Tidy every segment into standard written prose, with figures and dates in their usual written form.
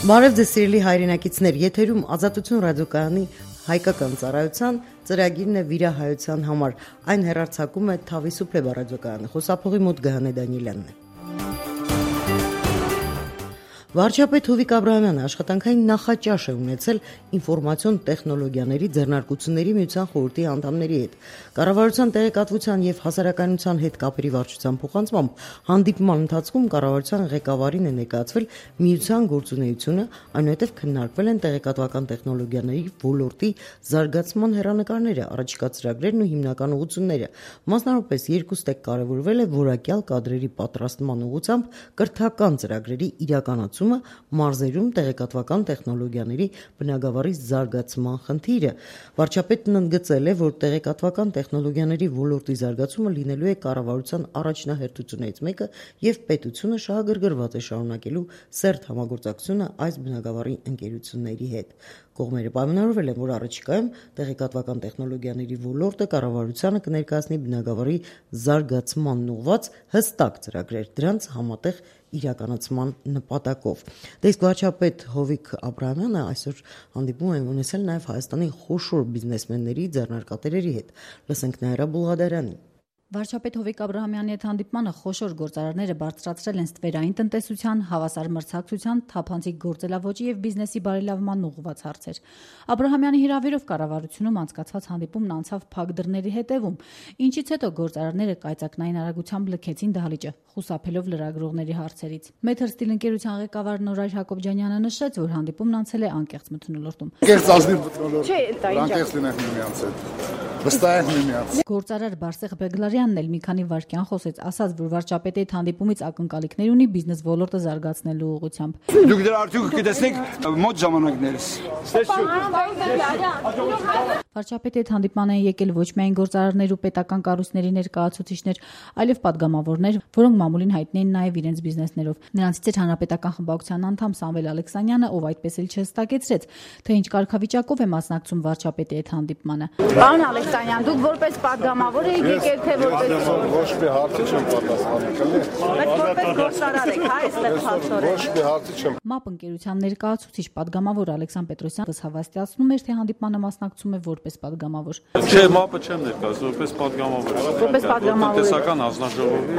Բարև ձեզ սիրելի հայրենակիցներ, եթերում Ազատություն ռադիոկայանի հայկական ծառայության ծրագիրն է վիրահայության համար։ Այն հեռարձակում է Թավիսուփլե ռադիոկայանը։ Խոսափողի մոտ Գահանե Դանիելյանն է։ Վարչապետ Հովիկ Աբրահամյանը աշխատանքային նախաճաշ է ունեցել ինֆորմացիոն տեխնոլոգիաների ձեռնարկությունների միության խորհրդի անդամների հետ։ Կառավարության տեղեկատվության եւ հասարակայնության հետ կապերի վարչության փոխանցմամբ հանդիպման ընթացքում կառավարության ղեկավարին է ներկայացվել միության գործունեությունը, այնուհետև քննարկվել են տեղեկատվական տեխնոլոգիաների ոլորտի զարգացման հեռանկարները, առաջիկա ծրագրերն ու հիմնական ուղղությունները։ Մասնավորապես երկու ստեկ կարևորվել է որակյալ կադրերի պատրաստման ուղղությամբ կրթական ծրագրերի իրականացումը մարզերում տեղեկատվական տեխնոլոգիաների բնագավառի զարգացման խնդիրը։ Վարչապետն ընդգծել է, որ տեղեկատվական տեխնոլոգիաների ոլորտի զարգացումը լինելու է կառավարության առաջնահերթություններից մեկը եւ պետությունը շահագրգռված է շարունակելու սերտ համագործակցությունը այս բնագավառի ընկերությունների հետ։ Կողմերը պայմանավորվել են, որ առաջիկայում տեղեկատվական տեխնոլոգիաների ոլորտը կառավարությանը կներկայացնի բնագավառի զարգացմանն ուղղված հստակ ծրագրեր, դրանց համատեղ իրականացման նպատակով։ Իսկ վարչապետ Հովիկ Աբրահամյանը այսօր հանդիպում է ունեցել նաև Հայաստանի խոշոր բիզնեսմենների, ձեռնարկատերերի հետ։ Լսենք Նաիրա Բուլղադարյանին։ Վարչապետ Հովիկ Աբրահամյանի հետ հանդիպմանը խոշոր գործարարները բարձրացրել են ստվերային տնտեսության, հավասար մրցակցության, թափանցիկ գործելավոճի եւ բիզնեսի բարելավման ուղղված հարցեր։ Աբրահամյանի հրավերով կառավարությունում անցկացված հանդիպումն անցավ փակ դռների հետևում, ինչից հետո գործարարները կայծակնային արագությամբ լքեցին դահլիճը, խուսափելով լրագրողների հարցերից։ Մեթր Ստիլ ընկերության ղեկավար Նորայր Հակոբյանը նշեց, որ հանդիպումն անցել է անկեղծ մթնոլորտում։ Գործարար Բարսեղ Բեգլարյանն էլ մի քանի վայրկյան խոսեց, ասաց, որ վարչապետի հետ հանդիպումից ակնկալիքներ ունի բիզնես ոլորտը զարգացնելու ուղղությամբ։ Դուք դրա արդյունքը կտեսնեք մոտ ժամանակներս։ Վարչապետի հետ հանդիպման են եկել ոչ միայն գործարարներ ու պետական կառույցների ներկայացուցիչներ, այլև պատգամավորներ, որոնք մամուլին հայտնի են նաև իրենց բիզնեսներով։ Նրանցից էր հանրապետական խմբակցության անդամ Սամվել Ալեքսանյանը, ով այդպես էլ չհստակեցրեց, թե ինչ կարգավիճակով է մասնակցում վարչապետի հետ հանդիպմանը։ Պարոն Ալեքսանյան, դուք որպես պատգամավոր եք եկել, թե որպես ոչ մի հարցի չեմ պատասխանի։ Բայց որպես գործարար եք, հա, այստեղ փաստորեն։ Ոչ մի հարցի չեմ։ ՄԱՊ ընկերության ներկայացուցիչ պատգամավոր Ալեքսան Պետրոսյանը հավաստիացնում էր, թե հանդիպմանը մասնակցում է որպես պատգամավոր։ Չէ, ՄԱՊ-ը չեմ ներկայացնում, որպես պատգամավոր։ Որպես պատգամավոր։ Տնտեսական հանձնաժողովի։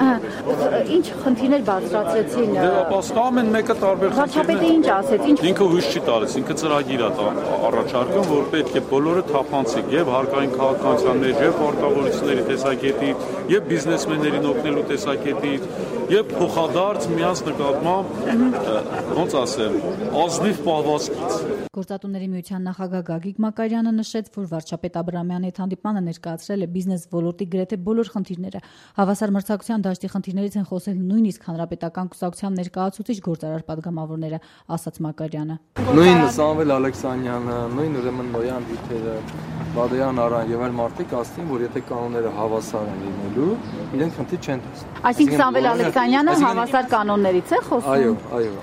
Ինչ խնդիրներ բարձրացրեցին։ Դե ամեն մեկը տարբեր Վարչապետը ինչ ասեց, ինչ ինքը հույս չի տալիս, ինքը ծրագիր է առաջարկում, որ պետք է բոլորը թափանցիկ եւ հարկային քաղաքականության մեջ եւ պարտավորությունների տեսակետից եւ բիզնեսմեններին օգնելու տեսակետից եւ փոխադարձ միած նկատմամբ ոնց ասեմ, ազնիվ պահվածքից։ Գործատուների միության նախագահ Գագիկ Մակարյանը նշեց, որ վարչապետ Աբրահամյանի հետ հանդիպմանը ներկայացրել է բիզնես ոլորտի գրեթե բոլոր խնդիրները։ Հավասար մրցակցության դաշտի խնդիրներից են խոսել նույնիսկ հանրապետական կուսակցության ներկայացուցիչ գործարար պատգամավորները, ասաց Մակարյանը։ Նույն Սամվել Ալեքսանյանը, նույն ուրեմն Նոյան Վիթերը, Բադոյան Արան եւ այլ մարդիկ ասցին, որ եթե կանոնները հավասար են լինելու, իրենք խնդիր չեն տեսնում։ Այսինքն Սամվել Ալեքսանյանը հավասար կանոններից է խոսում։ Այո։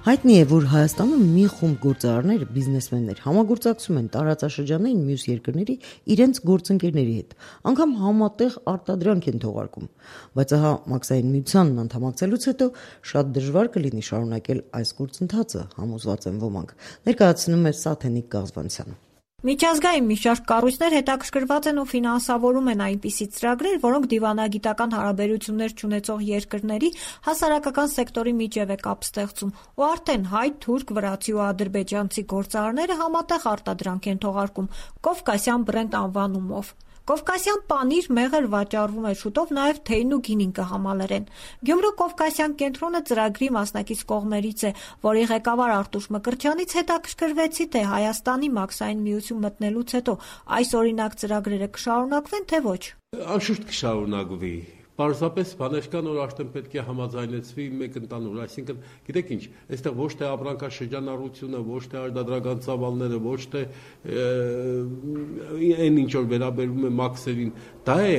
Հայտնի է, որ Հայաստանում մի խումբ գործարարներ, բիզնեսմեններ համագործակցում են տարածաշրջանային մյուս երկրների իրենց գործընկերների հետ, անգամ համատեղ արտադրանք են թողարկում, բայց ահա Մաքսային միությանն անդամակցելուց հետո շատ դժվար կլինի շարունակել այս գործընթացը, համոզված են ոմանք, ներկայացնում է Սաթենիկ Գազվանցյանը։ Միջազգային մի շարք կառույցներ հետաքրքրված են ու ֆինանսավորում են այնպիսի ծրագրեր, որոնք դիվանագիտական հարաբերություններ չունեցող երկրների հասարակական սեկտորի միջև է կապ ստեղծում, ու արդեն հայ, թուրք, վրացի ու ադրբեջանցի գործարարները համատեղ արտադրանք են թողարկում Կովկասյան բրենդ անվանումով։ Կովկասյան պանիր, մեղր վաճառվում է շուտով նաև թեյն ու գինին կհամալրեն։ Գյումրու Կովկասյան կենտրոնը ծրագրի մասնակից կողմերից է, որի ղեկավար Արտուշ Մկրտչյանից հետաքրքրվեցի, թե Հայաստանի Մաքսային միություն մտնելուց հետո այս օրինակ ծրագրերը կշարունակվեն, թե ոչ։ Անշուշտ կշարունակվի։ Պարզապես բաներ կան, որ արդեն պետք է համաձայնեցվի մեկ ընդանուր, այսինքն, գիտեք ինչ, այստեղ ոչ թե ապրանքաշրջանառությունը, ոչ թե արտադրական ծավալները, ոչ թե այն ինչ որ վերաբերում է մաքսերին, դա է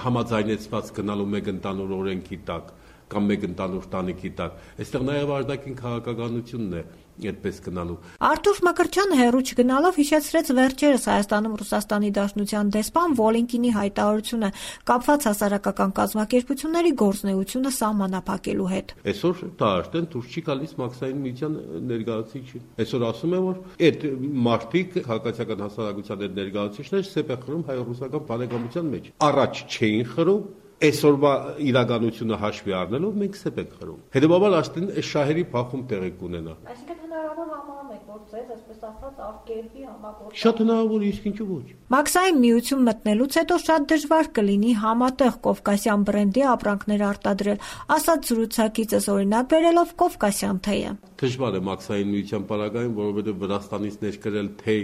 համաձայնեցված գնալու մեկ ընդանուր օրենքի տակ կամ մեկ ընդանուր տանիքի տակ։ Այստեղ նաև արտաքին քաղաքականությունն է այդպես գնալու։ Արթուր Մկրտչյանը հեռու չգնալով հիշեցրեց վերջերս Հայաստանում Ռուսաստանի Դաշնության դեսպան Վոլինկինի հայտարարությունը կապված հասարակական կազմակերպությունների գործունեությունը սահմանափակելու հետ։ Այսօր դա արդեն դուրս չի գալիս Մաքսային միության ներկայացուցիչին։ Այսօր ասում է, որ այդ մարդիկ քաղաքացիական հասարակության այդ ներկայացուցիչներ սեպ է խրում հայ-ռուսական բարեկամության մեջ։ Առաջ չէին խրում, այսօրվա իրականությունը հաշվի առնելով մենք սեպ ենք խրում։ Հետևաբար արդեն այս շահերի փախում տեղի կունենա։ Այսինքն հնարավոր համարում եք, որ ձեզ այսպես ասած արտերկրի համագործակցություն։ Շատ հնարավոր, իսկ ինչու ոչ։ Մաքսային միություն մտնելուց հետո շատ դժվար կլինի համատեղ կովկասյան բրենդի ապրանքներ արտադրել, ասաց զրուցակիցս օրինակ բերելով կովկասյան թեյը։ Դժվար է Մաքսային միության պարագայում, որովհետև Վրաստանից ներկրել թեյ,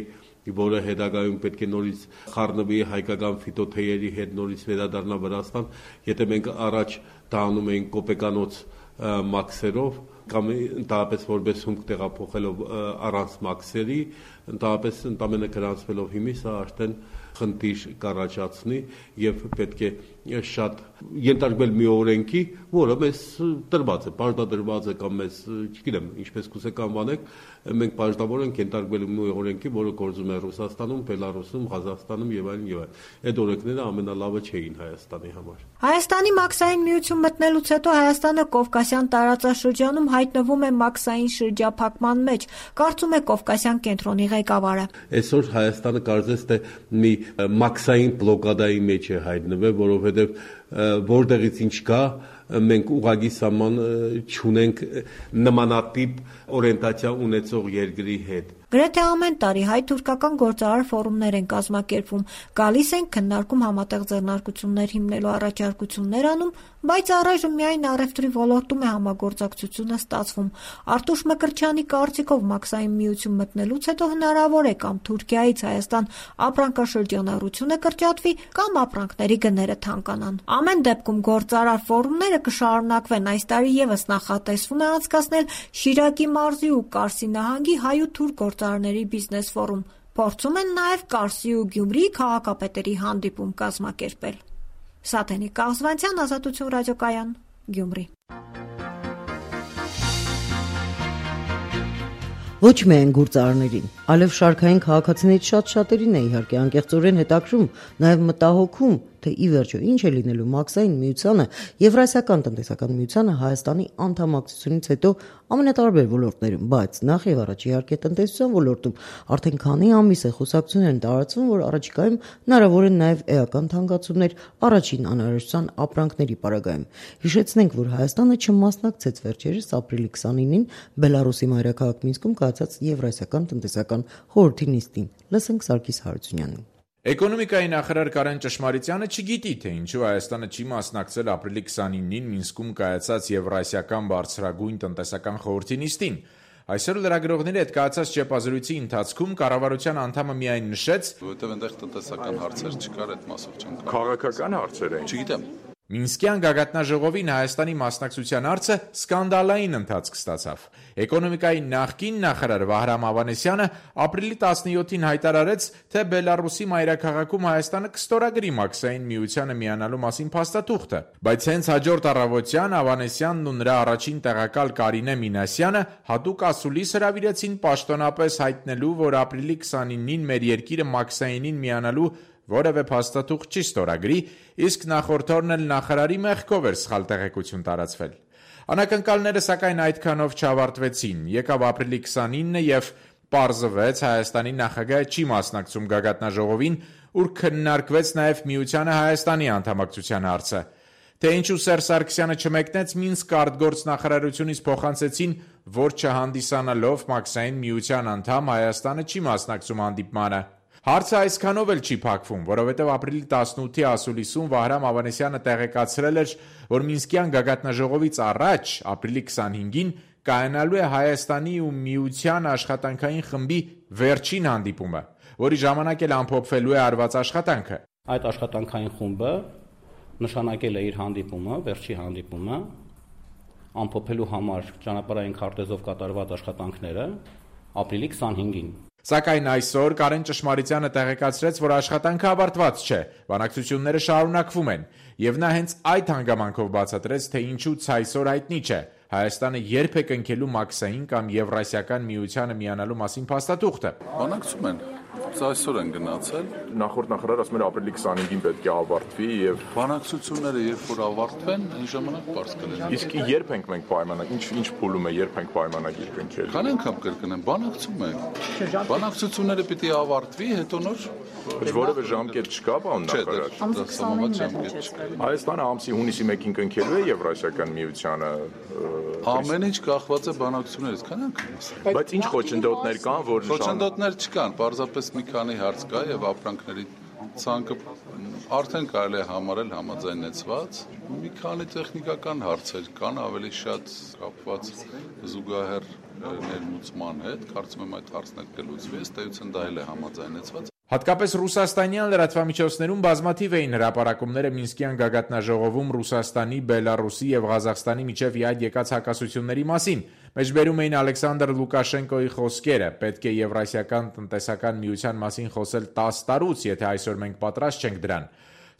որը հետագայում պետք է նորից խառնվի հայկական ֆիտոթեյերի հետ, նորից վերադառնա Վրաստան, եթե մենք առաջ դա անում էինք կոպեկանոց մաքսերով կամ ընդհանրապես որպես հումք տեղափոխելով առանց մաքսերի, ընդհանրապես ընդամենը գրանցվելով հիմի, սա արդեն խնդիր կառաջացնի եւ պետք է շատ ենթարկվել մի օրենքի, որը մեզ տրված է, պարտադրված է կամ մեզ, չգիտեմ, ինչպես կուզեք անվանեք, մենք պարտավոր ենք ենթարկվել մի օրենքի, որը գործում է Ռուսաստանում, Բելարուսում, Ղազախստանում եւ այլն եւ այլն։ Այդ օրենքները ամենալավը չէին Հայաստանի համար։ Հայաստանի Մաքսային միություն մտնելուց հետո Հայաստանը Կովկասյան տարածաշրջանում հայտնվում է մաքսային շրջափակման մեջ, կարծում է Կովկասյան կենտրոնի ղեկավարը։ Այսօր Հայաստանը կարծես թե մի մաքսային բլոկադայի մեջ է հայտնվել, որովհետեւ որտեղից ինչ կա, մենք ուղղակի սահման չունենք նմանատիպ օրենտացիա ունեցող երկրի հետ։ Գրեթե ամեն տարի հայ-թուրքական գործարար ֆորումներ են կազմակերպվում, գալիս են քննարկում համատեղ ձեռնարկություններ հիմնելու առաջարկություններ անում, բայց առայժմ միայն առևտրի ոլորտում է համագործակցությունը ստացվում։ Արթուր Մկրտչյանի կարծիքով մաքսային միություն մտնելուց հետո հնարավոր է կամ Թուրքիայից Հայաստան ապրանքաշրջանառությունը կրճատվի, կամ ապրանքների գները թանկանան։ Ամեն դեպքում գործարար ֆորումները կշարունակվեն, այս տարի եւս նախատեսվում է անցկացնել Շիրակի մարզի ու Կարսի նահանգի հայ ու թուրք գործարարների բիզնես ֆորում։ Փորձում են նաև Կարսի ու Գյումրիի քաղաքապետերի հանդիպում կազմակերպել։ Սաթենիկ Կաղզվանցյան, Ազատություն ռադիոկայան, Գյումրի։ Ոչ միայն գործարարներին, այլև շարքային քաղաքացիներից շատ-շատերին է իհարկե անկեղծորեն հետաքրում, նաև մտահոգում, թե ի վերջո ինչ է լինելու Մաքսային միությանը, Եվրասիական տնտեսական միությանը Հայաստանի անդամակցությունից հետո ամենատարբեր ոլորտներում, բայց նախ եւ առաջ իհարկե տնտեսության ոլորտում արդեն քանի ամիս է խոսակցություններ են տարածվում, որ առաջիկայում հնարավոր են նաև էական թանկացումներ առաջին անհրաժեշտության ապրանքների պարագայում։ Հիշեցնենք, որ Հայաստանը չմասնակցեց վերջերս ապրիլի 29-ին Բելարուսի մայրաքաղաք Մինսկում կայացած Եվրասիական տնտեսական խորհրդի նիստին։ Լսենք Սարգիս Հարությունյանին։ Էկոնոմիկայի նախարար Կարեն Ճշմարիտյանը չգիտի, թե ինչու Հայաստանը չի մասնակցել ապրիլի 29-ին Մինսկում կայացած Եվրասիական բարձրագույն տնտեսական խորհրդի նիստին։ Այսօր լրագրողների հետ կայացած ճեպազրույցի ընթացքում կառավարության անդամը միայն նշեց, որովհետև այնտեղ տնտեսական հարցեր չկար, այդ մասով չեն կարող։ Քաղաքական հարցեր էին։ Չգիտեմ։ Մինսկյան գագաթնաժողովին Հայաստանի մասնակցության հարցը սկանդալային ընթացք ստացավ։ Էկոնոմիկայի նախկին նախարար Վահրամ Ավանեսյանը ապրիլի 17-ին հայտարարեց, թե Բելարուսի մայրաքաղաքում Հայաստանը կստորագրի Մաքսային միությանը միանալու մասին փաստաթուղթը, բայց հենց հաջորդ առավոտյան Ավանեսյանն ու նրա առաջին տեղակալ Կարինե Մինասյանը հատուկ ասուլիս հրավիրեցին պաշտոնապես հայտնելու, որ ապրիլի 29-ին մեր երկիրը Մաքսայինին միանալու որևէ փաստաթուղթ չի ստորագրի, իսկ նախորդ օրն էլ նախարարի մեղքով էր սխալ տեղեկություն տարածվել։ Անակնկալները սակայն այդքանով չավարտվեցին։ Եկավ ապրիլի 29-ը եւ պարզվեց Հայաստանի նախագահը չի մասնակցում գագաթնաժողովին, ուր քննարկվեց նաեւ միությանը Հայաստանի անդամակցության հարցը։ Թե ինչու Սերժ Սարգսյանը չմեկնեց Մինսկ արտգործ նախարարությունից փոխանցեցին, որ չհանդիսանալով Մաքսային միության անդամ Հայաստանը չի մասնակցում հանդիպմանը։ Հարցը այսքանով էլ չի փակվում, որովհետև ապրիլի 18-ի ասուլիսում Վահրամ Ավանեսյանը տեղեկացրել էր, որ Մինսկյան գագաթնաժողովից առաջ ապրիլի 25-ին կայանալու է Հայաստանի ու Միության աշխատանքային խմբի վերջին հանդիպումը, որի ժամանակ էլ ամփոփվելու է արված աշխատանքը։ Այդ աշխատանքային խումբը նշանակել է իր հանդիպումը, վերջի հանդիպումը, ամփոփելու համար ճանապարհային քարտեզով կատարված աշխատանքները ապրիլի 25-ին։ Սակայն այսօր Կարեն Ճշմարիտյանը տեղեկացրեց, որ աշխատանքը ավարտված չէ, բանակցությունները շարունակվում են, եւ նա հենց այդ հանգամանքով բացատրեց, թե ինչու ցայսօր հայտնի չէ Հայաստանը երբ է կնքելու Մաքսային կամ Եվրասիական միությանը միանալու մասին փաստաթուղթը։ Բանակցում են։ Այսօր են գնացել։ Նախորդ նախարար ասում էր ապրիլի 25-ին պետք է ավարտվի եւ բանակցությունները երբ որ ավարտվեն, այն ժամանակ բարձ կլինի։ Իսկ երբ ենք մենք պայմանագիր, ինչ փուլում է, երբ ենք պայմանագիր կնքել։ Քանի անգամ կրկնեմ, բանակցում ենք։ Բանակցությունները պիտի ավարտվի, հետո նոր որևէ ժամկետ չկա, բան նախարար։ Հայաստանը ամսի հունիսի 1-ին կնքելու է Եվրասիական միությանը։ Ամեն ինչ կախված է բանակցություններից, քանի անգամ։ Բայց ինչ խոչընդոտներ կան, որ խոչընդոտներ չկան, պարզապես մի քանի հարց կա եւ ապրանքների ցանկը արդեն կարելի է համարել համաձայնեցված։ Մի քանի տեխնիկական հարցեր կան, ավելի շատ կապված զուգահեռ ներմուծման հետ, կարծում եմ այդ հարցն էլ կլուծվի, ըստ էության դա էլ է համաձայնեցված։ Հատկապես ռուսաստանյան լրատվամիջոցներում բազմաթիվ էին հրապարակումները Մինսկյան գագաթնաժողովում Ռուսաստանի, Բելարուսի եւ Ղազախստանի միջև իհայտ եկած հակասությունների մասին։ Մեջբերում էին Ալեքսանդր Լուկաշենկոյի խոսքերը. պետք է Եվրասիական տնտեսական միության մասին խոսել 10 տարուց, եթե այսօր մենք պատրաստ չենք դրան։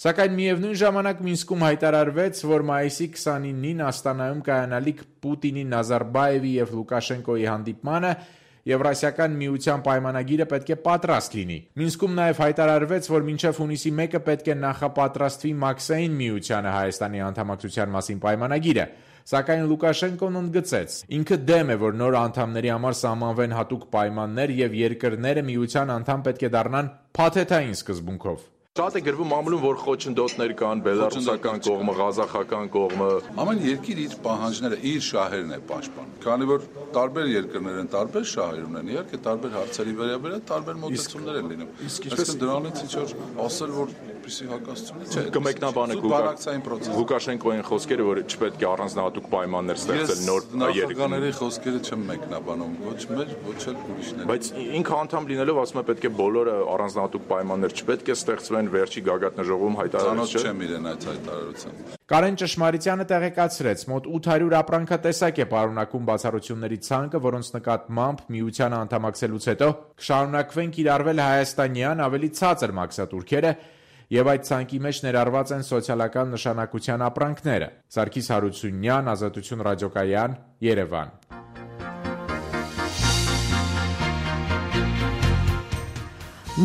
Սակայն միևնույն ժամանակ Մինսկում հայտարարվեց, որ մայիսի 29-ին Աստանայում կայանալիք Պուտինի, Նազարբաևի եւ Լուկաշենկոյի հանդիպմանը Եվրասիական միության պայմանագիրը պետք է պատրաստ լինի։ Մինսկում նաև հայտարարվեց, որ մինչև հունիսի 1-ը պետք է նախապատրաստվի Մաքսային միությանը Հայաստանի անդամակցության մասին պայմանագիրը։ Սակայն Լուկաշենկոն ընդգծեց. ինքը դեմ է, որ նոր անդամների համար սահմանվեն հատուկ պայմաններ եւ երկրները միության անդամ պետք է դառնան փաթեթային սկզբունքով։ Շատ է գրվում մամուլում, որ խոչընդոտներ կան, բելարուսական կողմը, ղազախական կողմը։ Ամեն երկիր իր պահանջները, իր շահերն է պաշտպանում։ Քանի որ տարբեր երկրներ են, տարբեր շահեր ունեն, իհարկե տարբեր հարցերի վերաբերյալ տարբեր մոտեցումներ են լինում։ Այսինքն դրանից ինչ որ ասել, որ պիսի հակասություն չէ։ Կմեկնաբանեք Լուկաշենկոյին խոսքերը, որ չպետք է առանձնահատուկ պայմաններ ստեղծել նոր երկրների խոսքերը չեմ մեկնաբանում, ոչ մեր, ոչ էլ ուրիշների։ Բայց ինքը անդամ լինելով ասում է պետք է բոլորը առանձնահատուկ պայմաններ չպետք է ստեղծվեն վերջի գագաթնաժողովում հայտարարություն չեմ իրեն այդ հայտարարության։ Կարեն Ճշմարիտյանը տեղեկացրեց, մոտ 800 ապրանքատեսակ է պարունակում բացառությունների ցանկը, որոնց նկատմամբ միությանը անդամակցելուց հետո կշարունակվեն կիրառվել հայաստանյան ավելի ցածր մաքսատուրքերը եւ այդ ցանկի մեջ ներառված են սոցիալական նշանակության ապրանքները։ Սարգիս Հարությունյան, Ազատություն ռադիոկայան, Երևան։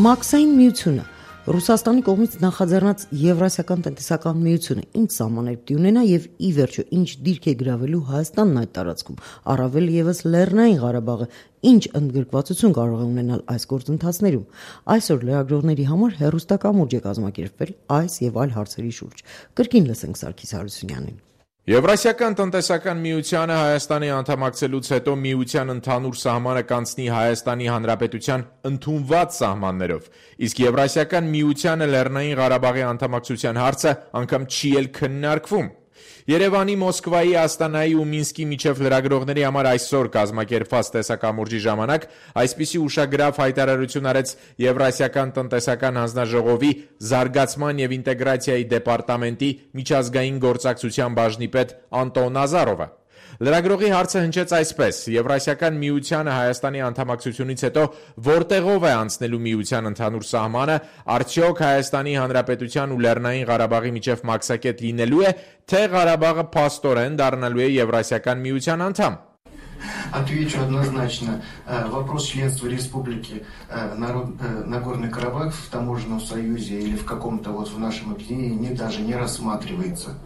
Մաքսային միությունը Ռուսաստանի կողմից նախաձեռնած Եվրասիական տնտեսական միությունը ինչ սահմաններ պիտի ունենա եւ ի վերջո ինչ դիրք է գրավելու Հայաստանն այդ տարածքում, առավել եւս Լեռնային Ղարաբաղը ինչ ընդգրկվածություն կարող է ունենալ այս գործընթացներում։ Այսօր լրագրողների համար հեռուստակամուրջ է կազմակերպվել այս եւ այլ հարցերի շուրջ։ Կրկին լսենք Սարգիս Հարությունյանին։ Եվրասիական տնտեսական միությանը Հայաստանի անդամակցելուց հետո միության ընդհանուր սահմանը կանցնի Հայաստանի Հանրապետության ընդունված սահմաններով, իսկ Եվրասիական միությանը Լեռնային Ղարաբաղի անդամակցության հարցը անգամ չի էլ քննարկվում։ Երևանի, Մոսկվայի, Աստանայի ու Մինսկի միջև լրագրողների համար այսօր կազմակերպված տեսակամուրջի ժամանակ այսպիսի ուշագրավ հայտարարություն արեց Եվրասիական տնտեսական հանձնաժողովի զարգացման եւ ինտեգրացիայի դեպարտամենտի միջազգային գործակցության բաժնի պետ Անտոն Ազարովը։ Լրագրողի հարցը հնչեց այսպես. Եվրասիական միությանը Հայաստանի անդամակցությունից հետո որտեղով է անցնելու միության ընդհանուր սահմանը, արդյոք Հայաստանի Հանրապետության ու Լեռնային Ղարաբաղի միջև մաքսակետ լինելու է, թե Ղարաբաղը փաստորեն դառնալու է Եվրասիական միության անդամ։ Отвечу однозначно. Вопрос членства республики Нагорный Карабах в таможенном союзе или в каком-то вот в нашем объединении даже не рассматривается.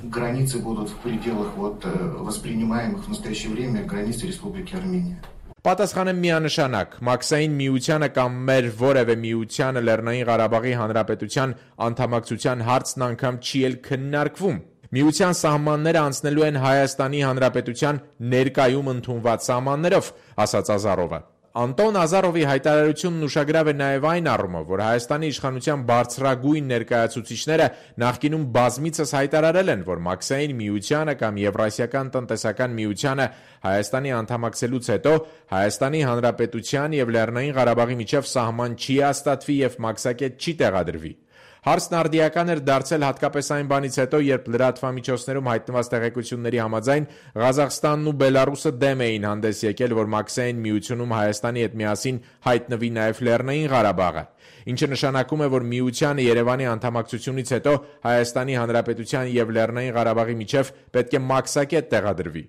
Границы будут в пределах вот воспринимаемых в настоящее время границ Республики Армения. Պատասխանը միանշանակ, Մաքսային միությանը կամ մեր որևէ միությանը Լեռնային Ղարաբաղի Հանրապետության անդամակցության հարցն անգամ չի էլ քննարկվում։ Միության սահմանները անցնելու են Հայաստանի Հանրապետության ներկայում ընդունված սահմաններով, ասաց Ազարովը։ Անտոն Ազարովի հայտարարությունն ուշագրավ է նաև այն առումով, որ Հայաստանի իշխանության բարձրագույն ներկայացուցիչները նախկինում բազմիցս հայտարարել են, որ Մաքսային միությանը կամ Եվրասիական տնտեսական միությանը Հայաստանի անդամակցելուց հետո Հայաստանի Հանրապետության եւ Լեռնային Ղարաբաղի միջև սահման չի հաստատվի եւ մաքսակետ չի տեղադրվի։ Հարցն արդիական էր դարձել հատկապես այն բանից հետո, երբ լրատվամիջոցներում հայտնված տեղեկությունների համաձայն Ղազախստանն ու Բելարուսը դեմ էին հանդես եկել, որ Մաքսային միությունում Հայաստանի հետ միասին հայտնվի նաև Լեռնային Ղարաբաղը, ինչը նշանակում է, որ միությանը Երևանի անդամակցությունից հետո Հայաստանի Հանրապետության և Լեռնային Ղարաբաղի միջև պետք է մաքսակետ տեղադրվի։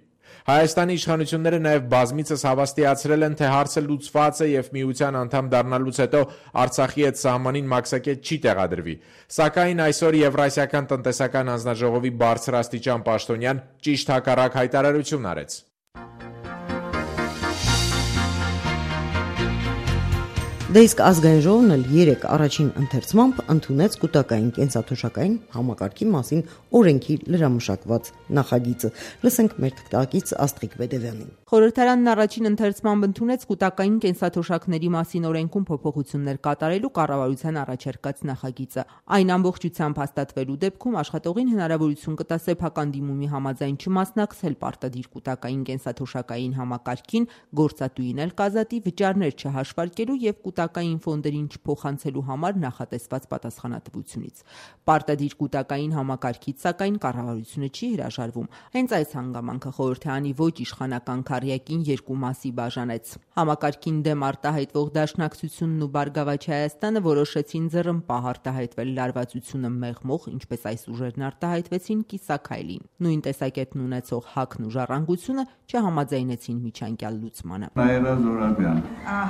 Հայաստանի իշխանությունները նաև բազմիցս հավաստիացրել են, թե հարցը լուծված է և միության անդամ դառնալուց հետո Արցախի հետ սահմանին մաքսակետ չի տեղադրվի, սակայն այսօր Եվրասիական տնտեսական հանձնաժողովի բարձրաստիճան պաշտոնյան ճիշտ հակառակ հայտարարություն արեց։ Դե իսկ ազգային ժողովն էլ 3 առաջին ընթերցմամբ ընդունեց կուտակային կենսաթոշակային համակարգի մասին օրենքի լրամշակված նախագիծը։ Լսենք մեր թղթակից Աստղիկ Բեդևյանին։ Խորհրդարանն առաջին ընթերցմամբ ընդունեց կուտակային կենսաթոշակների մասին օրենքում փոփոխություններ կատարելու կառավարության առաջարկած նախագիծը։ Այն ամբողջությամբ հաստատվելու դեպքում աշխատողին հնարավորություն կտա սեփական դիմումի համաձայն չմասնակցել պարտադիր կուտակային կենսաթոշակային համակարգին, գործատուին էլ կազատի վճարներ չհաշվարկելու և կուտակային ֆոնդերին չփոխանցելու համար նախատեսված պատասխանատվությունից։ Պարտադիր կուտակային համակարգից սակայն կառավարությունը չի հրաժարվում։ Հենց այս հանգամանքը խորհրդարանի ոչ իշխանական քառյակին երկու մասի բաժանեց։ Համակարգին դեմ արտահայտվող Դաշնակցությունն ու Բարգավաճ Հայաստանը որոշեցին ձեռնպահ արտահայտվել լարվածությունը մեղմող, ինչպես այս ուժերն արտահայտվեցին կիսաքայլին։ Նույն տեսակետն ունեցող ՀԱԿ-ն ու Ժառանգությունը չհամաձայնեցին միջանկյալ լուծմանը։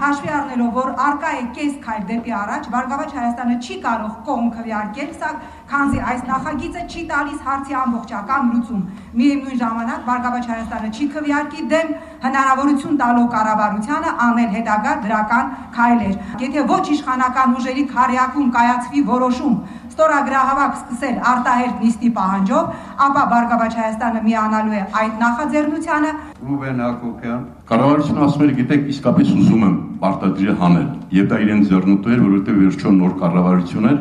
Հաշվի առնելով, որ արկա է կես քայլ դեպի առաջ, Բարգավաճ Հայաստանը չի կարող կողմ քվեարկել, սա քանզի այս նախագիծը չի տալիս հարցի ամբողջական լուծում։ Միևնույն ժամանակ Բարգավաճ Հայաստանը չի քվեարկի դեմ հնարավորություն տալով կառավարությանը անել հետագա դրական քայլեր։ Եթե ոչ իշխանական ուժերի քառյակում կայացվի որոշում ստորագրահավաք սկսել արտահերտ նիստի պահանջով, ապա Բարգավաճ Հայաստանը միանալու է այդ նախաձեռնությանը։ Ռուբեն Հակոբյան, կառավարությունը ասում էր, գիտեք, իսկապես ուզում եմ պարտադիրը հանել, եւ դա իրեն ձեռնտու էր, որովհետեւ վերջո նոր կառավարություն էր,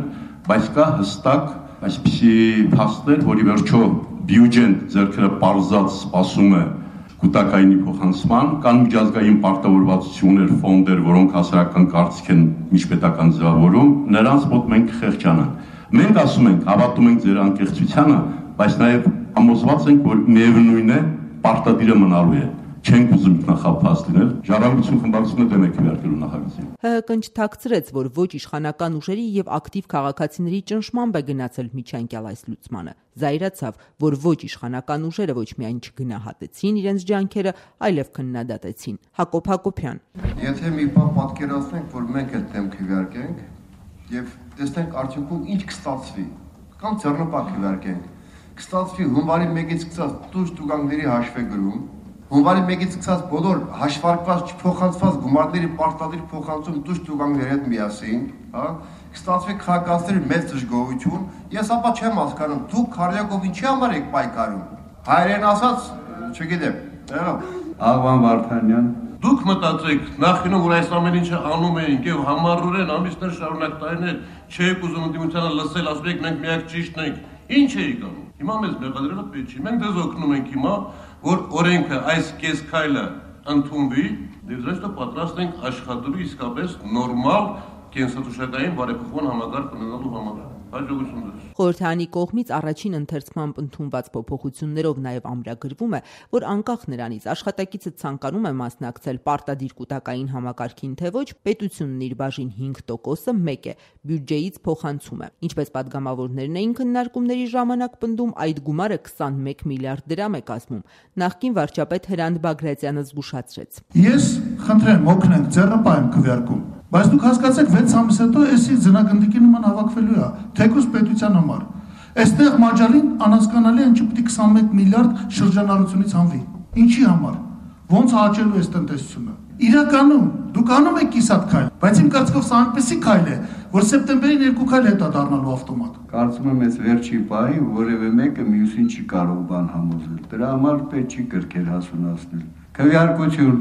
բայց կա հստակ այսպիսի փաստեր, որի վերջո բյուջեն ձեռքերը պարզած սպասում է կուտակայինի փոխանցման, կան միջազգային պարտավորվածություններ, ֆոնդեր, որոնք հասարակական կարծիք են միջպետական ձևավորում, նրանց մոտ մենք խեղճանանք։ Մենք ասում ենք, հավատում ենք ձեր անկեղծությանը, բայց նաև համոզված ենք, որ միևնույն է պարտադիրը մնալու է։ Չենք ուզում ինքնախաբված լինել, Ժառանգություն խմբակցությունը դեմ է քվեարկելու նախագծին։ ՀՀԿ-ն չթաքցրեց, որ ոչ իշխանական ուժերի եւ ակտիվ քաղաքացիների ճնշմամբ է գնացել միջանկյալ այս լուծմանը։ Զայրացավ, որ ոչ իշխանական ուժերը ոչ միայն չգնահատեցին իրենց ջանքերը, այլև քննադատեցին։ Հակոբ Հակոբյան։ Եթե մի բան պատկերացնենք, որ մենք էլ դեմ քվեարկենք եւ տեսնենք արդյունքում ինչ կստացվի, կամ ձեռնպահ քվեարկենք, կստացվի հունվարի 1-ից սկսած տուժ տուգանքների հաշվեգրում, հունվարի 1-ից սկսած բոլոր հաշվարկված չփոխանցված գումարների պարտադիր փոխանցում տուժ տուգանքների հետ միասին, հա, կստացվի քաղաքացիների մեծ դժգոհություն։ Ես ապա չեմ հասկանում, դուք քառյակով ինչի համար եք պայքարում։ Հայերեն ասած, չգիտեմ, Աղվան Վարդանյան։ Դուք մտածեք, նախկինում որ այս ամեն ինչը անում էինք եւ համառորեն ամիսներ շարունակ տարիներ չեք ուզում ընդդիմությանը լսել, ասում եք մենք միակ ճիշտն ենք։ Ինչ էիք անում։ Հիմա մեզ մեղադրելը պետք չի։ Մենք դեզ օգնում ենք հիմա, որ օրենքը այս կես քայլը ընդունվի, եւ զուտ պատրաստ ենք աշխատելու իսկապես նորմալ կենսաթոշակային բարեփոխման համակարգ ունենալու համար։ Հաջողություն ձեզ։ Խորհրդարանի կողմից առաջին ընթերցմամբ ընդունված փոփոխություններով նաև ամրագրվում է, որ անկախ նրանից աշխատակիցը ցանկանում է մասնակցել պարտադիր կուտակային համակարգին, թե ոչ, պետությունն իր բաժին 5%-ը մեկ է, բյուջեից փոխանցում է։ Ինչպես պատգամավորներն էին քննարկումների ժամանակ պնդում, այդ գումարը 21 միլիարդ դրամ է կազմում։ Նախկին վարչապետ Հրանտ Բագրատյանը զգուշացրեց։ Ես խնդրեմ, օգնենք, ձեռնպահ եմ քվեարկում, բայց դուք հասկացեք 6 ամիս հետո էսի ձնագնդիկի նման հավաքվելու է, թեկուզ պետության համար։ Այստեղ մաջալին անհասկանալի է, ինչի պետք է 21 միլիարդ շրջանառությունից հանվի։ Ինչի համար։ Ոնց աճելու է տնտեսությունը։ Իրականում դուք անում եք կիսատ քայլ, բայց իմ կարծիքով սա այնպեսի քայլ է, որ սեպտեմբերին 2 քայլ հետա դառնալու ավտոմատ։ Կարծում եմ, այս վերջի պահին որևէ մեկը մյուսին չի կարող բան համոզել։ Դրա համար պետք չի կրկեր հասունացնել։ Քվեարկություն։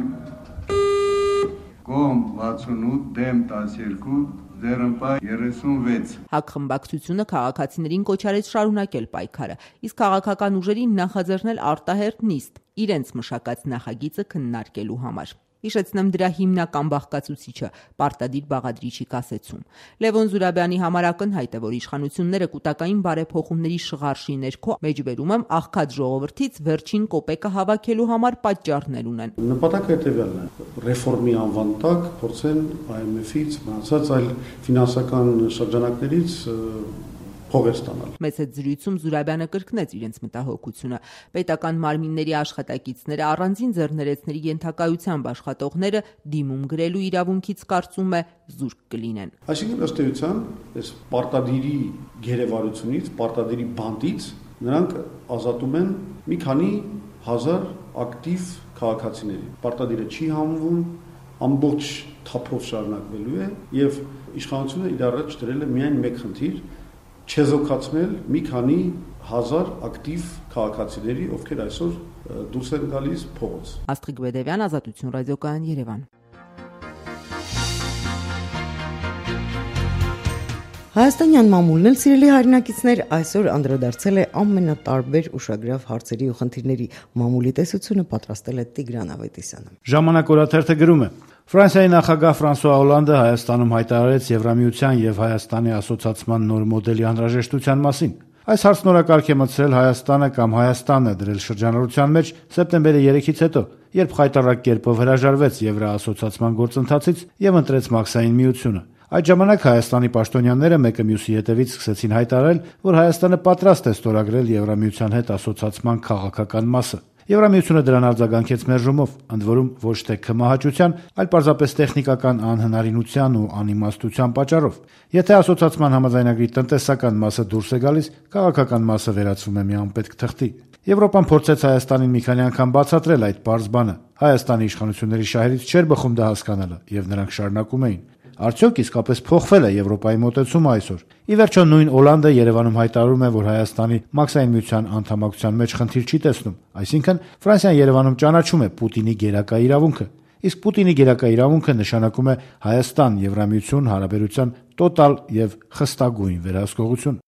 Կողմ 68, դեմ 12, ձեռնպահ 36։ ՀԱԿ խմբակցությունը քաղաքացիներին կոչ արեց շարունակել պայքարը, իսկ քաղաքական ուժերին նախաձեռնել արտահերտ նիստ իրենց մշակած նախագիծը քննարկելու համար։ Հիշեցնեմ դրա հիմնական բաղկացուցիչը պարտադիր բաղադրիչի կասեցում։ Լևոն Զուրաբյանի համար ակնհայտ է, որ իշխանությունները կൂട്ടակային բարեփոխումների շղարշի ներքո մեջբերում եմ աղքատ ժողովրդից վերջին կոպեկը հավաքելու համար պատճառներ ունեն։ Նպատակը հետևյալն է՝ ռեֆորմի անվան տակ փորձեն IMF-ից, մնացած այլ ֆինանսական շրջանակներից փող ստանալ։ Մեծ հետ զրույցում Զուրաբյանը կրկնեց իրենց մտահոգությունը։ Պետական մարմինների աշխատակիցները առանձին ձեռներեցների ենթակայությամբ աշխատողները դիմում գրելու իրավունքից կարծում է զուրկ կլինեն։ Այսինքն ըստ էության, այս պարտադիրի գերեվարությունից, պարտադիրի բանդից նրանք ազատում են մի քանի հազար ակտիվ քաղաքացիների։ Պարտադիրը չի համվում, ամբողջ թափով շարունակվելու է եւ իշխանությունը իր առաջ դրել է միայն մեկ խնդիր՝ չեզոքացնել մի քանի հազար ակտիվ քաղաքացիների, ովքեր այսօր դուրս են գալիս փողոց։ Աստղիկ Բեդևյան, Ազատություն ռադիոկայան, Երևան։ Հայաստանյան մամուլն էլ, սիրելի հայրենակիցներ, այսօր անդրադարձել է ամենատարբեր ուշագրավ հարցերի ու խնդիրների։ Մամուլի տեսությունը պատրաստել է Տիգրան Ավետիսյանը։ Ժամանակ օրաթերթը գրում է. Ֆրանսիայի նախագահ Ֆրանսուଆ Օլանդը Հայաստանում հայտարարեց Եվրամիության եւ Հայաստանի ասոցիացիան նոր մոդելի անհրաժեշտության մասին։ Այս հարցն օրակարգ է մտցրել Հայաստանը կամ Հայաստանը դրել շրջանառության մեջ սեպտեմբերի 3-ից հետո, երբ խայտառակ կերպով հրաժարվեց Եվրաասոցիացիան գործընթացից եւ ընտրեց Մաքսային միությունը։ Այդ ժամանակ Հայաստանի պաշտոնյաները մեկը մյուսի հետևից սկսեցին հայտարարել, որ Հայաստանը պատրաստ է ստորագրել Եվրամիության հետ ասոցիացիան քաղաքական մասը։ Եվրամիությունը դրան արձագանքեց մերժումով, ընդ որում ոչ թե քմահաճության, այլ պարզապես տեխնիկական անհնարինության ու անիմաստության պատճառով։ Եթե ասոցիացիան համաձայնագրի տնտեսական մասը դուրս է գալիս, քաղաքական մասը վերածվում է մի անպետք թղթի։ Եվրոպան փորձեց Հայաստանին մի քանի անգամ բացատրել այդ պարզ բանը։ Հայաստանի իշխանությունների շահերից չէր բխում դա հասկանալը, եւ նրանք շարունակում էին։ Արդյոք իսկապես փոխվել է Եվրոպայի մոտեցումը այսօր։ Ի վերջո նույն Օլանդը Երևանում հայտարարում է, որ Հայաստանի Մաքսային միության անդամակցության մեջ խնդիր չի տեսնում, այսինքն Ֆրանսիան Երևանում ճանաչում է Պուտինի գերակա իրավունքը։ Իսկ Պուտինի գերակա իրավունքը նշանակում է Հայաստան-Եվրամիություն հարաբերության տոտալ եւ խստագույն վերահսկողություն։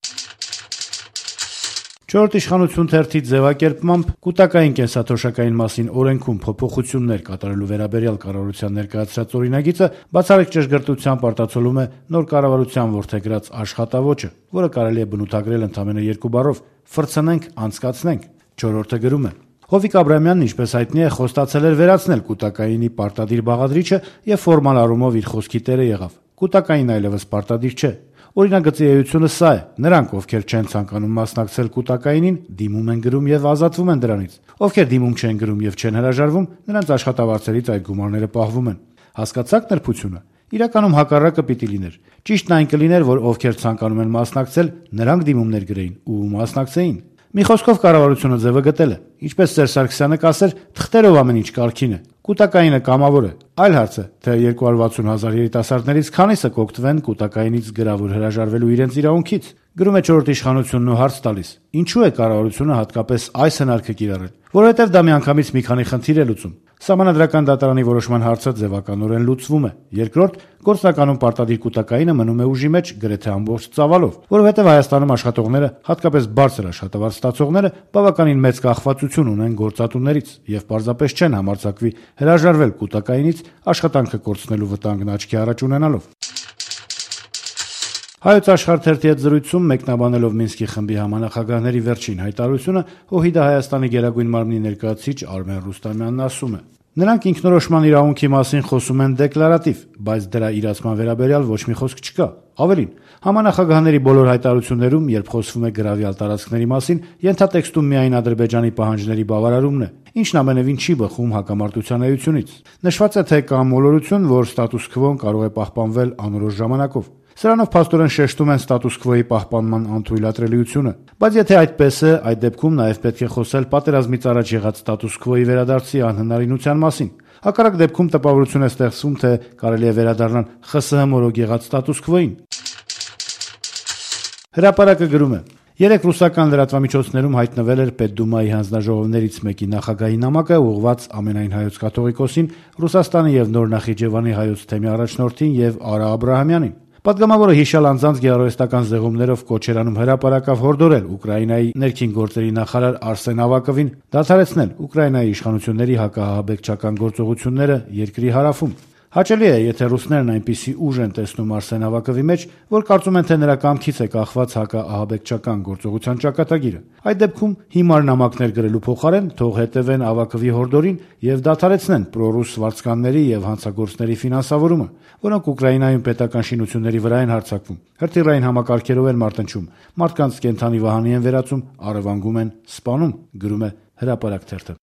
Չորրորդ իշխանություն թերթի ձևակերպմամբ կൂട്ടակային կենսաթոշակային մասին օրենքում փոփոխություններ կատարելու վերաբերյալ կառավարության ներկայացրած օրինագիծը բացառիկ ճշգրտությամբ արտացոլում է նոր կառավարության որդեգրած աշխատավոճը, որը կարելի է բնութագրել ընդամենը երկու բառով՝ «ֆրցնենք, անցկացնենք»։ Չորրորդը գրում է. Հովիկ Աբրահամյանն, ինչպես հայտնի է, խոստացել էր վերացնել կൂട്ടակայինի պարտադիր բաղադրիչը եւ ֆորմալ առումով իր խոսքի տերը եղավ։ Կൂട്ടակային այլևս պարտադիր չէ։ Օրինագծի էությունը սա է. նրանք, ովքեր չեն ցանկանում մասնակցել կൂട്ടակայինին, դիմում են գրում եւ ազատվում են դրանից։ Ովքեր դիմում չեն գրում եւ չեն հրաժարվում, նրանց աշխատավարձերից այդ գումարները պահվում են։ Հասկացաք նրբությունը։ Իրականում հակառակը պիտի լիներ։ Ճիշտն այն կլիներ, որ ովքեր ցանկանում են մասնակցել, նրանք դիմումներ գրեին ու մասնակցեին։ Մի խոսքով կառավարությունը ձևը գտել է։ Ինչպես Սերժ Սարգսյանը կասեր, թղթերով ամեն ինչ կարգին է։ Կൂട്ടակայինը կամավոր է։ Այլ հարց է, թե 260,000 երիտասարդներից քանիսը կօգտվեն կൂട്ടակայինից գրավոր հրաժարվելու իրենց իրավունքից։ Գրում է չորրորդ իշխանությունն ու հարց տալիս. ինչու է կառավարությունը հատկապես այս հնարքը կիրառել։ Որովհետև դա միանգամից մի քանի խնդիր է լուծում։ Սահմանադրական դատարանի որոշման հարցը ձևականորեն լուծվում է։ Երկրորդ, գործնականում պարտադիր կൂട്ടակայինը մնում է ուժի մեջ գրեթե ամբողջ ծավալով, որովհետև Հայաստանում աշխատողները, հատկապես բարձր աշխատավարձ ստացողները, բավականին մեծ կախվածություն ունեն գործատուներից եւ պարզապես չեն համարձակվի հրաժարվել կൂട്ടակայինից աշխատանքը կորցնելու վտանգն աչքի առաջ ունենալով։ Հայոց աշխարհ թերթի հետ զրույցում մեկնաբանելով Մինսկի խմբի համանախագահների վերջին հայտարարությունը, ՀՅԴ Հայաստանի գերագույն մարմնի ներկայացուցիչ Արմեն Ռուստամյանն ասում է. նրանք ինքնորոշման իրավունքի մասին խոսում են դեկլարատիվ, բայց դրա իրացման վերաբերյալ ոչ մի խոսք չկա։ Ավելին, համանախագահների բոլոր հայտարարություններում, երբ խոսվում է գրավյալ տարածքների մասին, ենթատեքստում միայն Ադրբեջանի պահանջների բավարարումն է, ինչն ամենևին չի բխում հակամարտության էությունից։ Նշված է, թե կա մոլորություն, որ ստատուս քվոն կարող է պահպանվել անորոշ ժամանակով։ Սրանով փաստորեն շեշտում են ստատուս քվոյի պահպանման անթույլատրելիությունը։ Բայց եթե այդպես է, այդ դեպքում նաև պետք է խոսել պատերազմից առաջ եղած ստատուս քվոյի վերադարձի անհնարինության մասին։ Հակառակ դեպքում տպավորություն է ստեղծվում, թե կարելի է վերադառնալ ԽՍՀՄ մորոք եղած ստատուս քվոյին։ Հրապարակը գրում է. երեք ռուսական լրատվամիջոցներում հայտնվել էր Պետդումայի հանձնաժողովներից մեկի նախագահի նամակը ուղղված ամենայն հայոց կաթողիկոսին, Ռուսաստանի եւ Նոր Նախիջևանի հայոց թեմի առաջնորդին եւ Արա Աբրահամյանին։ Պատգամավորը հիշյալ անձանց գեղարվեստական զեղումներով կոչ էր անում հրապարակավ հորդորել Ուկրաինայի ներքին գործերի նախարար Արսեն Ավակովին դադարեցնել Ուկրաինայի իշխանությունների հակահաբեկչական գործողությունները երկրի հարավում։ Հաճելի է, եթե ռուսներն այնպիսի ուժ են տեսնում Արսեն Ավակովի մեջ, որ կարծում են, թե նրա կամքից է կախված հակաահաբեկչական գործողության ճակատագիրը։ Այդ դեպքում հիմար նամակներ գրելու փոխարեն թող հետևեն Ավակովի հորդորին եւ դադարեցնեն պրոռուս վարձկանների եւ հանցագործների ֆինանսավորումը, որոնք Ուկրաինայում պետական շինությունների վրա են հարձակվում, հրթիռային համակարգերով են մարտնչում, մարդկանց կենդանի վահանի են վերածում, առևանգում են, սպանում, գրում է Հրապարակ թերթը։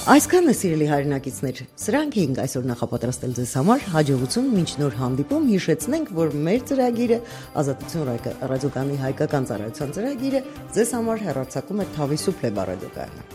Այսքանն է, սիրելի հայրենակիցներ, սրանք էինք այսօր նախապատրաստել ձեզ համար, հաջողություն մինչ նոր հանդիպում, հիշեցնենք, որ մեր ծրագիրը Ազատություն ռադիոկայանի հայկական ծառայության ծրագիրը ձեզ համար հեռարձակում է Թավիսուփլեբա ռադիոկայանը։